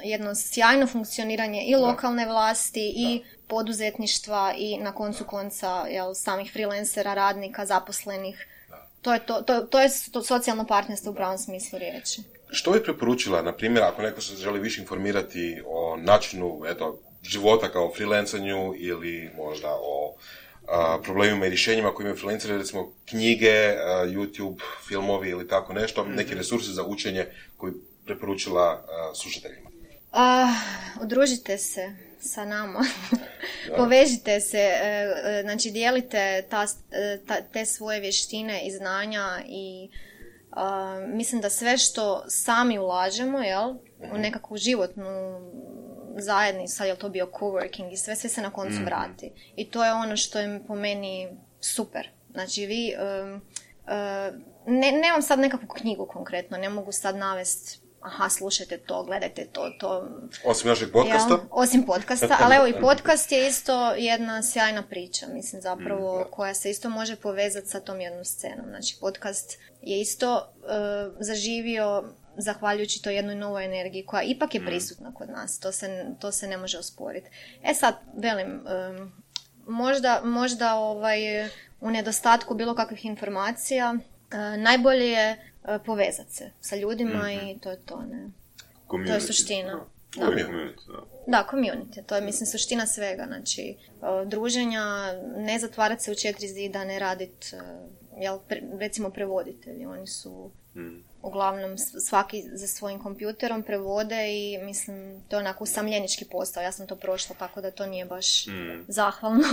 jedno sjajno funkcioniranje i lokalne vlasti i da. poduzetništva i na koncu konca jel, samih freelancera, radnika, zaposlenih. Da. To je, to, to, to je to socijalno partnerstvo u pravom smislu riječi. Što bi preporučila, na primjer, ako neko se želi više informirati o načinu, eto, života kao freelancanju ili možda o a, problemima i rješenjima koje imaju freelanceri, recimo knjige, a, YouTube, filmovi ili tako nešto, mm-hmm. neki resursi za učenje koji preporučila a, slušateljima? Uh, udružite se sa nama, povežite se, e, e, znači dijelite ta, ta, te svoje vještine i znanja i uh, mislim da sve što sami ulažemo, jel, mm-hmm. u nekakvu životnu zajednici, sad je to bio coworking i sve, sve se na koncu mm-hmm. vrati. I to je ono što je po meni super. Znači vi, um, uh, ne, nemam sad nekakvu knjigu konkretno, ne mogu sad navesti aha, slušajte to, gledajte to, to. Osim našeg podcasta? Jel? Osim podcasta, ali evo i podcast je isto jedna sjajna priča, mislim zapravo, mm, koja se isto može povezati sa tom jednom scenom. Znači podcast je isto uh, zaživio zahvaljujući toj jednoj novoj energiji koja ipak je prisutna kod nas, to se, to se ne može osporiti. E sad, velim, um, možda, možda ovaj, u nedostatku bilo kakvih informacija, uh, najbolje je uh, povezati se sa ljudima mm-hmm. i to je to, ne? Community. To je suština. Da, community, da. Da, community, to je, mislim, suština svega, znači, uh, druženja, ne zatvarati se u četiri zida, ne raditi, uh, jel, pre, recimo prevoditelji, oni su... Mm. Uglavnom svaki za svojim kompjuterom prevode i mislim to je onako usamljenički postao. Ja sam to prošla tako da to nije baš mm. zahvalno.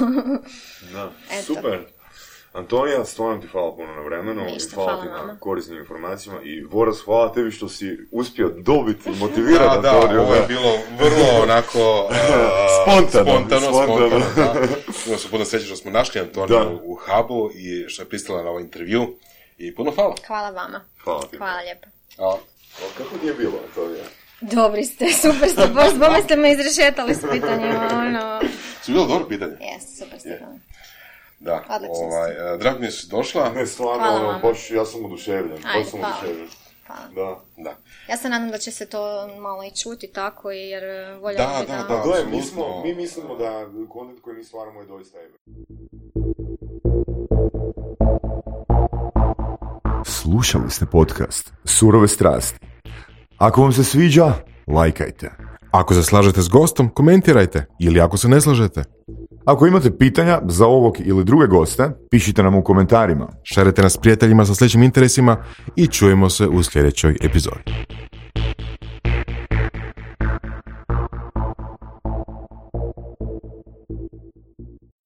Da, super. Antonija, stvarno ti hvala puno na vremenu. Ništa, hvala, hvala ti vama. na korisnim informacijama i Voras, hvala tebi što si uspio dobiti i motivirati da, Antoniju. Da, ovo je bilo vrlo onako uh, spontano. Spontano, spontano. spontano da. Imamo se puno sreće što smo našli Antoniju u Hubu i što je pristala na ovaj intervju. I puno hvala. Hvala vama. Hvala ti. Hvala lijepo. A, kako ti je bilo, Antonija? Dobri ste, super ste, baš bome ste me izrešetali s pitanjima, ono... Su bilo dobro pitanje? Jes, super ste. Yeah. Da, ovaj, drago mi je si došla. Ne, stvarno, baš ja sam oduševljen. Ajde, baš sam hvala. oduševljen. Hvala. Da. Da. Ja se nadam da će se to malo i čuti tako, jer voljela da, bi da... da... Da, da, da mi, smo, mi mislimo da kontent koji mi stvaramo je doista ebe. Slušali ste podcast Surove strasti. Ako vam se sviđa, lajkajte. Ako se slažete s gostom, komentirajte. Ili ako se ne slažete, ako imate pitanja za ovog ili druge goste, pišite nam u komentarima. Šerite nas s prijateljima sa sličnim interesima i čujemo se u sljedećoj epizodi.